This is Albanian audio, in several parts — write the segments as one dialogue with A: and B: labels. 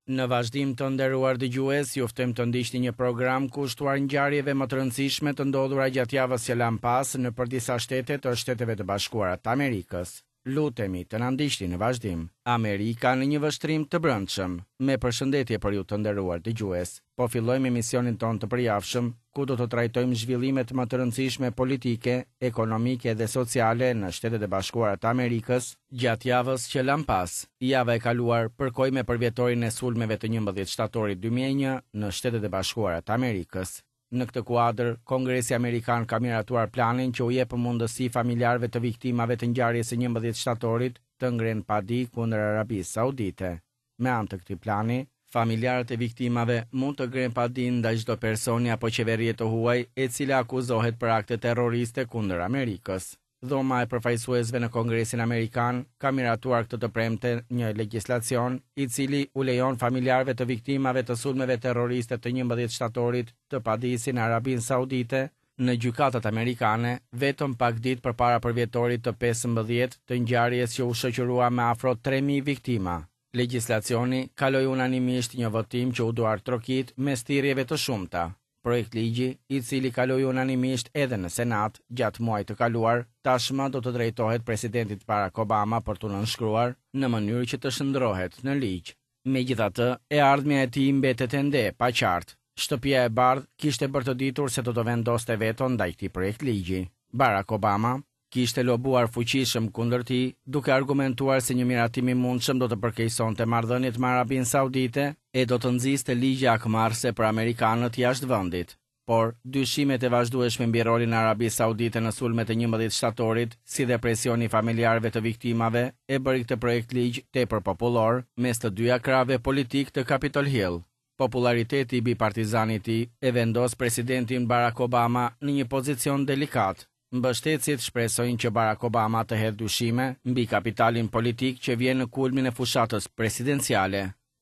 A: Në vazhdim të nderuar dëgjues, ju ftojmë të ndiqni një program kushtuar ngjarjeve më të rëndësishme të ndodhura gjatë javës që lamë pas nëpër disa shtete të Shteteve të Bashkuara të Amerikës. Lutemi të na ndiqni në vazhdim. Amerika në një vështrim të brendshëm. Me përshëndetje për ju të nderuar dëgjues. Po fillojmë emisionin tonë të përjavshëm, ku do të trajtojmë zhvillimet më të rëndësishme politike, ekonomike dhe sociale në Shtetet e Bashkuara të Amerikës gjatë javës që lamë pas. Java e kaluar përkoi me përvjetorin e sulmeve të 11 shtatorit 2001 në Shtetet e Bashkuara të Amerikës. Në këtë kuadër, Kongresi Amerikan ka miratuar planin që u jep mundësi familjarëve të viktimave të ngjarjes së 11 shtatorit të ngrenë padi kundër Arabisë Saudite. Me anë të këtij plani, familjarët e viktimave mund të ngrenë padi ndaj çdo personi apo qeverie të huaj e cila akuzohet për akte terroriste kundër Amerikës. Dhoma e Përfaqësuesve në Kongresin Amerikan ka miratuar këtë të premte një legjislacion, i cili u lejon familjarëve të viktimave të sulmeve terroriste të 11 shtatorit të padisin Arabinë Saudite në gjykatat amerikane vetëm pak ditë përpara përvjetorit të 15 të ngjarjes që u shoqërua me afro 3000 viktima. Legjislacioni kaloi unanimisht një votim që u duartrokit mes thirrjeve të shumta. Projektligji, i cili kaloi unanimisht edhe në Senat gjatë muajit të kaluar, tashmë do të drejtohet presidentit Barack Obama për t'u nënshkruar në mënyrë që të shndërrohet në ligj. Megjithatë, e ardhmja e tij mbetet ende e paqartë. Shtëpia e Bardhë kishte bërë të ditur se do të vendoste veto ndaj këtij projektligji. Barack Obama kishte lobuar fuqishëm kundër tij, duke argumentuar se një miratim i mundshëm do të përkeqësonte marrëdhëniet me Arabinë Saudite e do të nxiste ligje hakmarrëse për amerikanët jashtë vendit. Por, dyshimet e vazhdueshme mbi rolin e Arabisë Saudite në sulmet e 11 shtatorit, si dhe presioni i familjarëve të viktimave, e bëri këtë projektligj tepër popullor mes të dyja krahëve politikë të Capitol Hill. Popullariteti bipartizan i tij e vendos presidentin Barack Obama në një pozicion delikat. Mbështetësit shpresojnë që Barack Obama të hedhë dyshime mbi kapitalin politik që vjen në kulmin e fushatës presidenciale.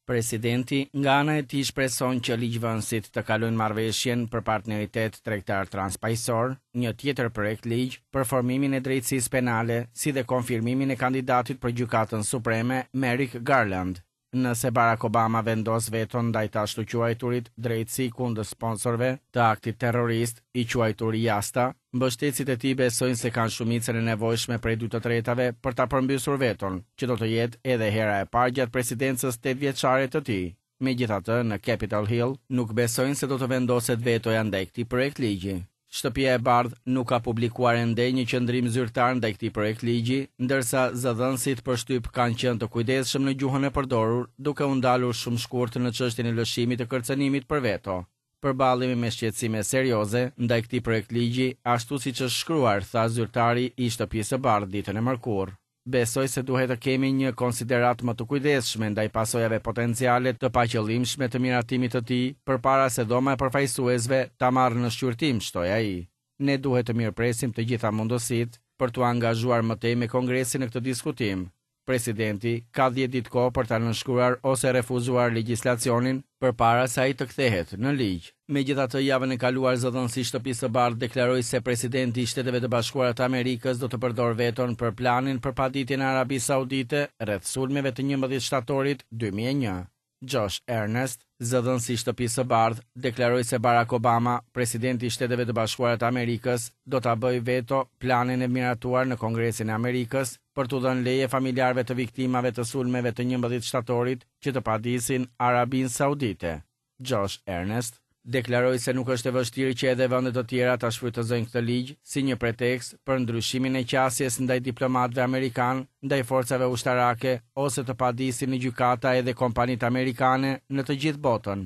A: Presidenti, nga ana e tij shpreson që ligjvënësit të kalojnë marrëveshjen për partneritet tregtar transpaqësor, një tjetër projektligj për formimin e drejtësisë penale, si dhe konfirmimin e kandidatit për Gjykatën Supreme, Merrick Garland. Nëse Barack Obama vendos veton ndaj të ashtuquajturit drejtësi kundër sponsorëve të aktit terrorist, i quajtur Jasta, mbështetësit e tij besojnë se kanë shumicën e nevojshme prej 2/3 për ta përmbysur veton, që do të jetë edhe hera e parë gjatë presidencës 8-vjeçare të tij. Megjithatë, në Capitol Hill nuk besojnë se do të vendoset vetoja ndaj këtij projektligji. Shtëpia e Bardhë nuk ka publikuar ende një qëndrim zyrtar ndaj këtij projektligji, ndërsa zëdhënësit për shtyp kanë qenë të kujdesshëm në gjuhën e përdorur, duke u ndalur shumë shkurt në çështjen e lëshimit të kërcënimit për veto. Përballemi me shqetësime serioze ndaj këtij projektligji, ashtu siç është shkruar, tha zyrtari i Shtëpisë së Bardhë ditën e mërkurë. Besoj se duhet të kemi një konsideratë më të kujdesshme ndaj pasojave potenciale të paqëllimshme të miratimit të tij përpara se dhoma e përfaqësuesve ta marrë në shqyrtim, shtoi ai. Ne duhet të mirëpresim të gjitha mundësitë për t'u angazhuar më tej me Kongresin në këtë diskutim. Presidenti ka 10 ditë kohë për ta nënshkruar ose refuzuar legjislacionin përpara se ai të kthehet në ligj. Megjithatë, javën e kaluar zëdhënësi i Shtëpisë së Bardhë deklaroi se presidenti i Shteteve të Bashkuara të Amerikës do të përdorë veton për planin për paditjen e Arabisë Saudite rreth sulmeve të 11 shtatorit 2001. Josh Earnest, zëdhënësi i Shtëpisë së Bardhë, deklaroi se Barack Obama, presidenti i Shteteve të Bashkuara të Amerikës, do ta bëjë veto planin e miratuar në Kongresin e Amerikës për t'u dhënë leje familjarëve të viktimave të sulmeve të 11 shtatorit që të padisin Arabinë Saudite. Josh Earnest deklaroi se nuk është e vështirë që edhe vende të tjera ta shfrytëzojnë këtë ligj si një pretekst për ndryshimin e qasjes ndaj diplomatëve amerikanë, ndaj forcave ushtarake ose të padisin në gjykata edhe kompanitë amerikane në të gjithë botën.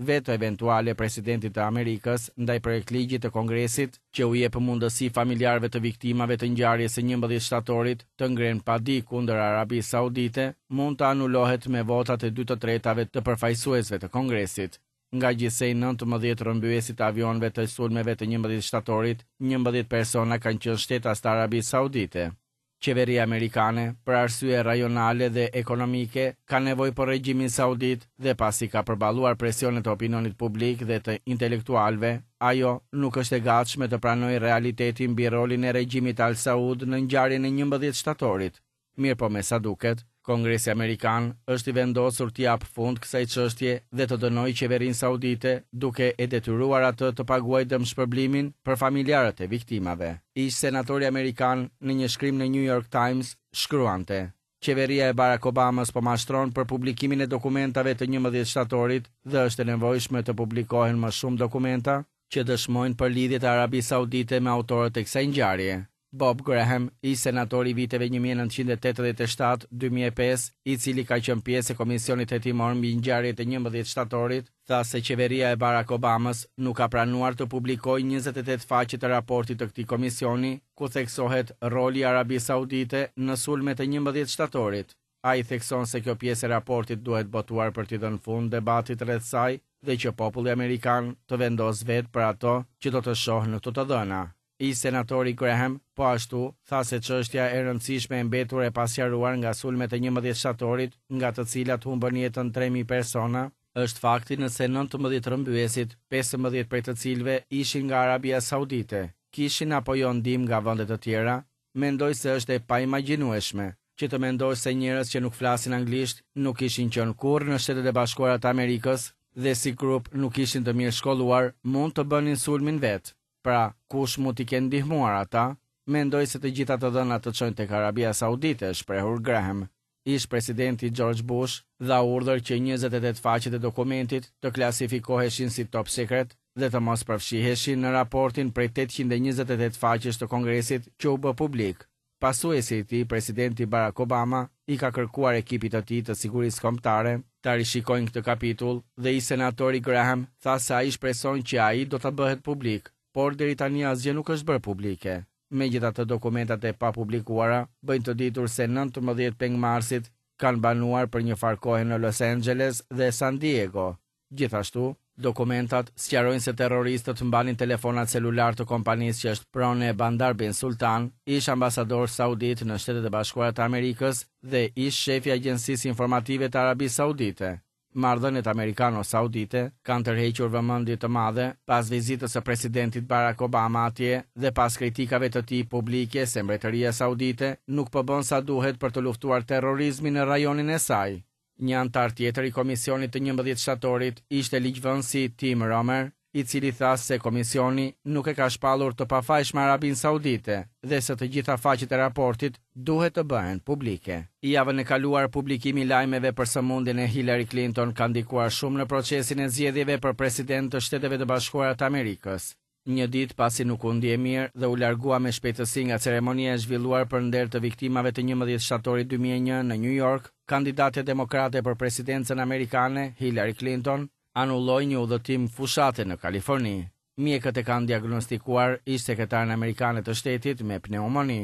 A: Veto eventuale e presidentit të Amerikës ndaj projektligjit të Kongresit që u jep mundësi familjarëve të viktimave të ngjarjes së 11 shtatorit të ngrenë padi kundër Arabisë Saudite, mund të anulohet me votat e 2/3 të përfaqësuesve të Kongresit. Nga gjithsej 19 rrëmbyesit të avionëve të sulmeve të 11 shtatorit, 11 persona kanë qenë shtetas të Arabisë Saudite. Qeveria amerikane, për arsye rajonale dhe ekonomike, ka nevojë për regjimin saudit dhe pasi ka përballuar presionet e opinionit publik dhe të intelektualëve, ajo nuk është e gatshme të pranojë realitetin mbi rolin e regjimit Al Saud në ngjarjen e 11 shtatorit. Mirëpo me sa duket, Kongresi amerikan është i vendosur t'i japë fund kësaj çështje dhe të dënojë qeverinë saudite duke e detyruar atë të paguajë dëmshpërblimin për familjarët e viktimave. Ish-senatori amerikan në një shkrim në New York Times shkruante, Qeveria e Barack Obamës po mashtron për publikimin e dokumentave të 11 shtatorit dhe është e nevojshme të publikohen më shumë dokumenta që dëshmojnë për lidhjet e Arabisë Saudite me autorët e kësaj ngjarje. Bob Graham, ish-senator i viteve 1987, 2005, i cili ka qenë pjesë e komisionit hetimor mbi ngjarjet e 11 shtatorit, tha se qeveria e Barack Obamës nuk ka pranuar të publikojë 28 faqe të raportit të këtij komisioni, ku theksohet roli i Arabisë Saudite në sulmet e 11 shtatorit. Ai thekson se kjo pjesë e raportit duhet botuar për t'i dhënë fund debatit rreth saj dhe që populli amerikan të vendosë vetë për ato që do të shohë në këto të dhëna. Ish-senatori Graham, po ashtu, tha se çështja e rëndësishme e mbetur e pasqaruar nga sulmet e 11 shtatorit, nga të cilat humbën jetën 3000 persona, është fakti nëse 19 rrëmbyesit, 15 prej të cilëve ishin nga Arabia Saudite, kishin apo jo ndihmë nga vende të tjera, mendoj se është e paimagjinueshme që të mendosh se njerëz që nuk flasin anglisht nuk kishin qenë kurrë në Shtetet e Bashkuara të Amerikës dhe si grup nuk ishin të mirë shkolluar, mund të bënin sulmin vetë. Pra, kush mund t'i kenë ndihmuar ata? Mendoj se të gjitha të dhënat të çojnë tek Arabia Saudite, shprehur Graham. Ish-presidenti George Bush dha urdhër që 28 faqet e dokumentit të klasifikoheshin si top secret dhe të mos përfshiheshin në raportin prej 828 faqesh të Kongresit që u bë publik. Pasuesi i tij, presidenti Barack Obama, i ka kërkuar ekipit të tij të sigurisë kombëtare ta rishikojnë këtë kapitull dhe ish-senatori Graham tha se ai shpreson që ai do të bëhet publik, por deri tani asgjë nuk është bërë publike. Megjithatë dokumentat e papublikuara bëjnë të ditur se 19 pengmarrësit kanë banuar për një farë kohe në Los Angeles dhe San Diego. Gjithashtu, dokumentat sqarojnë se terroristët mbanin telefonat celular të kompanisë që është pronë e Bandar bin Sultan, ish ambasador saudit në Shtetet e Bashkuara të Amerikës dhe ish shefi i Agjencisë Informative të Arabisë Saudite. Marrëdhëniet amerikano-saudite kanë tërhequr vëmendje të madhe pas vizitës së presidentit Barack Obama atje dhe pas kritikave të tij publike se mbretëria saudite nuk po bën sa duhet për të luftuar terrorizmin në rajonin e saj. Një anëtar tjetër i komisionit të 11 shtatorit ishte ligjvënësi Tim Roemer, i cili tha se komisioni nuk e ka shpallur të pafajshme Arabinë Saudite dhe se të gjitha faqet e raportit duhet të bëhen publike. Javën e kaluar, publikimi i lajmeve për sëmundjen e Hillary Clinton ka ndikuar shumë në procesin e zgjedhjeve për president të Shteteve të Bashkuara të Amerikës. Një ditë pasi nuk u ndje mirë dhe u largua me shpejtësi nga ceremonia e zhvilluar për nder të viktimave të 11 shtatorit 2001 në New York, kandidatja demokrate për presidencën amerikane, Hillary Clinton, anulloi një udhëtim fushate në Kaliforni. Mjekët e kanë diagnostikuar ish sekretaren amerikane të shtetit me pneumoni.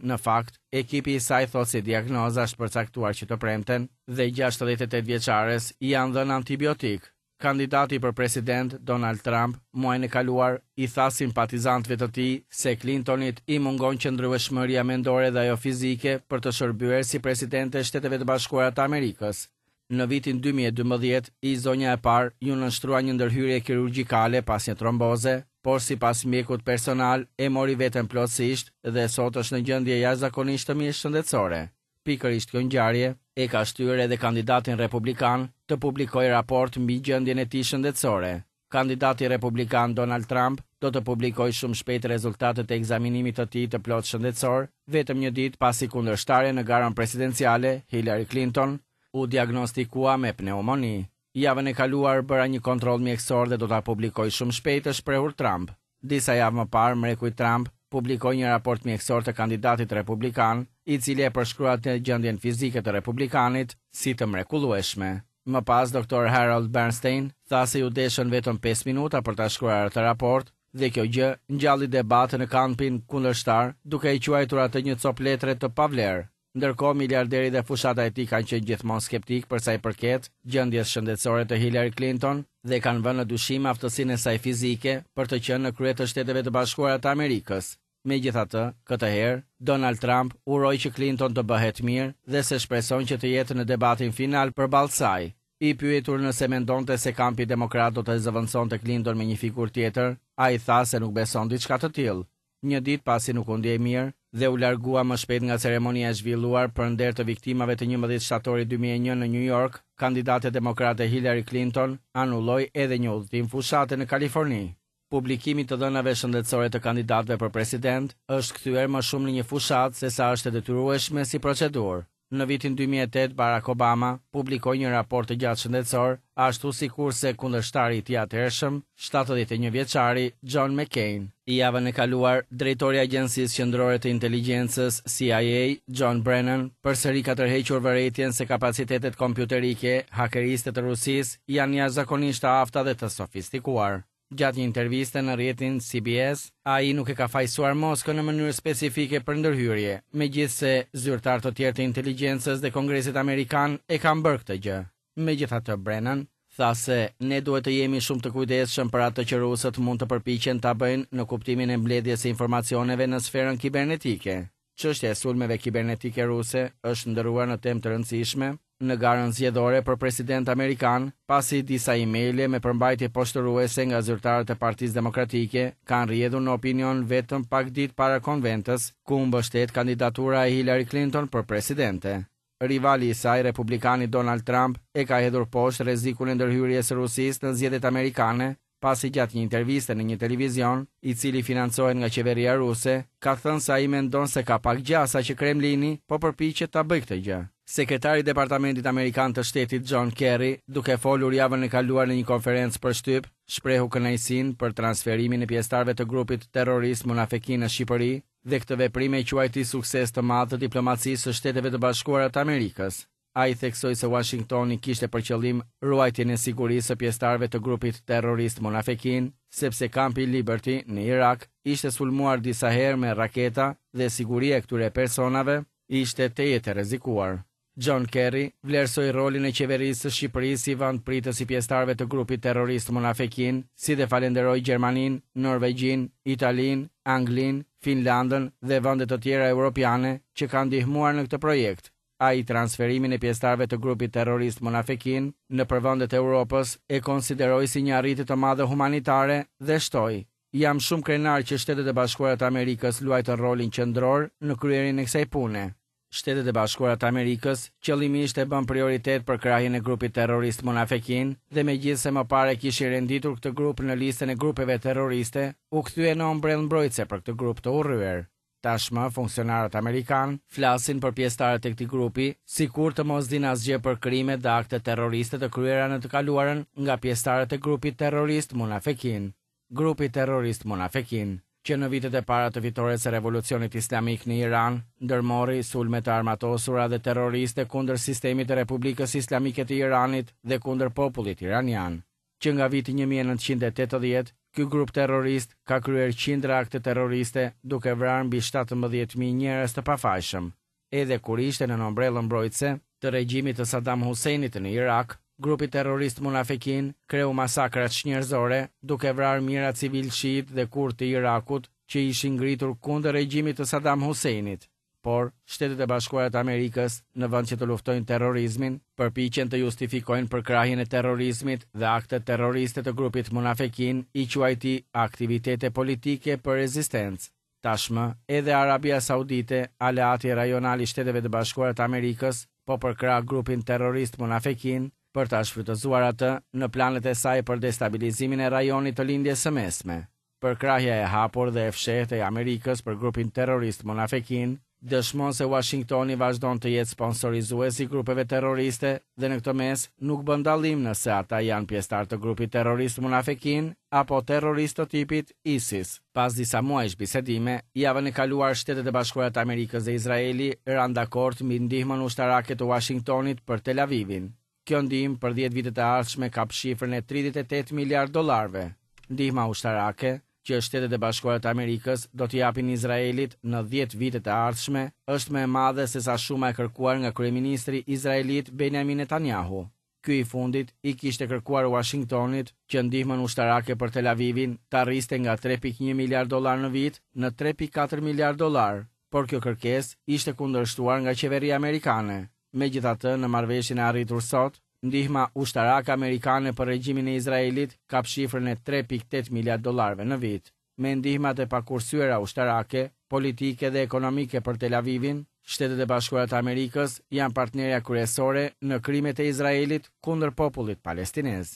A: Në fakt, ekipi i saj thotë se diagnoza është përcaktuar që të premten dhe 68 vjeçares i janë dhënë antibiotik. Kandidati për president, Donald Trump, muajin e kaluar, i tha simpatizantëve të tij se Clintonit i mungon qëndrueshmëria mendore dhe ajo fizike për të shërbyer si presidente e Shteteve të Bashkuara të Amerikës. Në vitin 2012, ish zonja e parë iu nënshtrua një ndërhyrje kirurgjikale pas një tromboze, por sipas mjekut personal e mori veten plotësisht dhe sot është në gjendje jashtëzakonisht të mirë shëndetësore. Pikërisht kjo ngjarje e ka shtyrë edhe kandidatin republikan të publikojë raport mbi gjendjen e tij shëndetësore. Kandidati republikan Donald Trump do të publikojë shumë shpejt rezultatet e ekzaminimit të tij të plotë shëndetësor, vetëm një ditë pasi kundërshtarja në garën presidenciale, Hillary Clinton, u diagnostikua me pneumoni. Javën e kaluar bëra një kontroll mjekësor dhe do ta publikoj shumë shpejt, është shprehur Trump. Disa javë më parë, mreku i Trump publikoi një raport mjekësor të kandidatit republikan, i cili e përshkruante gjendjen fizike të republikanit si të mrekullueshme. Më pas, Dr. Harold Bernstein tha se iu deshën vetëm 5 minuta për ta shkruar atë raport dhe kjo gjë ngjalli debat në kampin kundërshtar, duke e quajtur atë një copë letre të pavlerë. Ndërkohë, miliarderi dhe fushata e tij kanë qenë gjithmonë skeptik për sa i përket gjendjes shëndetësore të Hillary Clinton dhe kanë vënë në dyshim aftësinë e saj fizike për të qenë në krye të Shteteve të Bashkuara të Amerikës. Megjithatë, këtë herë, Donald Trump uroi që Clinton të bëhet mirë dhe se shpreson që të jetë në debatin final përballë saj. I pyetur nëse mendonte se kampi demokrat do të zëvendësonte Clinton me një figurë tjetër, ai tha se nuk beson diçka të tillë. Një ditë pasi nuk u ndje mirë, dhe u largua më shpejt nga ceremonia e zhvilluar për nder të viktimave të 11 shtatorit 2001 në New York, kandidatja demokrate Hillary Clinton anulloi edhe një udhëtim fushate në Kaliforni. Publikimi i të dhënave shëndetësore të kandidatëve për president është kthyer më shumë në një fushatë sesa është e detyrueshme si procedurë. Në vitin 2008, Barack Obama publikoi një raport të gjatë shëndetësor, ashtu sikurse kundërshtari i tij atëhershëm, 71 vjeçari John McCain. Javën e kaluar, drejtori i Agjencisë Qendrore të Inteligjencës, CIA, John Brennan, përsëri ka tërhequr vërejtjen se kapacitetet kompjuterike hakeriste të Rusisë janë jashtëzakonisht të afta dhe të sofistikuar. Gjatë një interviste në rrjetin CBS, ai nuk e ka fajësuar Moskën në mënyrë specifike për ndërhyrje, megjithëse zyrtarë të tjerë të inteligjencës dhe Kongresit Amerikan e kanë bërë këtë gjë. Megjithatë, Brennan tha se ne duhet të jemi shumë të kujdesshëm për atë që rusët mund të përpiqen ta bëjnë në kuptimin e mbledhjes së informacioneve në sferën kibernetike. Çështja e sulmeve kibernetike ruse është shndërruar në temë të rëndësishme në garën zgjedhore për president amerikan, pasi disa emaile me përmbajtje poshtëruese nga zyrtarët e Partisë Demokratike kanë rrjedhur në opinion vetëm pak ditë para konventës, ku u mbështet kandidatura e Hillary Clinton për presidente. Rivali i saj, republikani Donald Trump, e ka hedhur poshtë rrezikun e ndërhyrjes së Rusisë në zgjedhjet amerikane, pasi gjatë një interviste në një televizion, i cili financohet nga qeveria ruse, ka thënë se ai mendon se ka pak gjasa që Kremlini po përpiqet ta bëjë këtë gjë. Sekretari i Departamentit Amerikan të Shtetit John Kerry, duke folur javën e kaluar në një konferencë për shtyp, shprehu kënaqësinë për transferimin e pjesëtarëve të grupit terrorist Munafekin në Shqipëri dhe këtë veprim e quajti sukses të madh të diplomacisë së Shteteve të Bashkuara të Amerikës. Ai theksoi se Uashingtoni kishte për qëllim ruajtjen e sigurisë së pjesëtarëve të grupit terrorist Munafekin, sepse kampi Liberty në Irak ishte sulmuar disa herë me raketa dhe siguria e këtyre personave ishte tejet e rrezikuar. John Kerry vlerësoi rolin e qeverisë së Shqipërisë si vend pritës i pjesëtarëve të grupit terrorist Munafekin, si dhe falenderoi Gjermaninë, Norvegjinë, Italinë, Anglinë, Finlandën dhe vende të tjera europiane që kanë ndihmuar në këtë projekt. Ai transferimin e pjesëtarëve të grupit terrorist Munafekin nëpër vendet e Europës e konsideroi si një arritje të madhe humanitare dhe shtoi, Jam shumë krenar që Shtetet e Bashkuara të Amerikës luajtën rolin qendror në kryerjen e kësaj pune. Shtetet e Bashkuara të Amerikës qëllimisht e bënë prioritet përkrahjen e grupit terrorist Munafekin dhe megjithëse më parë e kishin renditur këtë grup në listën e grupeve terroriste, u kthye në ombrellë mbrojtëse për këtë grup të urryer. Tashmë, funksionarët amerikanë flasin për pjesëtarët e këtij grupi, sikur të mos dinë asgjë për krimet dhe aktet terroriste të kryera në të kaluarën nga pjesëtarët e grupit terrorist Munafekin. Grupi terrorist Munafekin, që në vitet e para të fitores së Revolucionit Islamik në Iran, ndërmori sulme të armatosura dhe terroriste kundër sistemit të Republikës Islamike të Iranit dhe kundër popullit iranian. Që nga viti 1980, ky grup terrorist ka kryer qindra akte terroriste, duke vrarë mbi 17.000 njerëz të pafajshëm. Edhe kur ishte nën ombrellën mbrojtëse të regjimit të Saddam Husseinit në Irak, grupi terrorist Munafekin kreu masakra çnjerëzore, duke vrarë mijëra civilë shiitë dhe kurdë të Irakut që ishin ngritur kundër regjimit të Saddam Husseinit. Por, Shtetet e Bashkuara të Amerikës, në vend që të luftojnë terrorizmin, përpiqen të justifikojnë përkrahjen e terrorizmit dhe aktet terroriste të grupit Munafekin i quajti aktivitete politike për rezistencë. Tashmë, edhe Arabia Saudite, aleati rajonal i Shteteve të Bashkuara të Amerikës, po përkrah grupin terrorist Munafekin për ta shfrytëzuar atë në planet e saj për destabilizimin e rajonit të Lindjes së Mesme. Përkrahja e hapur dhe e fshehtë e Amerikës për grupin terrorist Munafekin dëshmon se Uashingtoni vazhdon të jetë sponsorizues i grupeve terroriste dhe në këtë mes nuk bën dallim nëse ata janë pjesëtarë të grupit terrorist Munafekin apo terroristë të tipit ISIS. Pas disa muajsh bisedime, javën e kaluar Shtetet e Bashkuara të Amerikës dhe Izraeli ranë dakord mbi ndihmën ushtarake të Uashingtonit për Tel Avivin. Kjo ndihmë për 10 vitet e ardhshme kap shifrën e 38 miliard dollarëve. Ndihma ushtarake, që Shtetet e Bashkuara të Amerikës do t'i japin Izraelit në 10 vitet e ardhshme, është më e madhe sesa shuma e kërkuar nga kryeministri izraelit Benjamin Netanyahu. Ky i fundit i kishte kërkuar Uashingtonit që ndihmën ushtarake për Tel Avivin ta rriste nga 3.1 miliard dollar në vit në 3.4 miliard dollar, por kjo kërkesë ishte kundërshtuar nga qeveria amerikane. Megjithatë, në marrëveshjen e arritur sot, ndihma ushtarake amerikane për regjimin e Izraelit kap shifrën e 3.8 miliard dollarëve në vit. Me ndihmat e pakursyera ushtarake, politike dhe ekonomike për Tel Avivin, Shtetet e Bashkuara të Amerikës janë partnerja kryesore në krimet e Izraelit kundër popullit palestinez.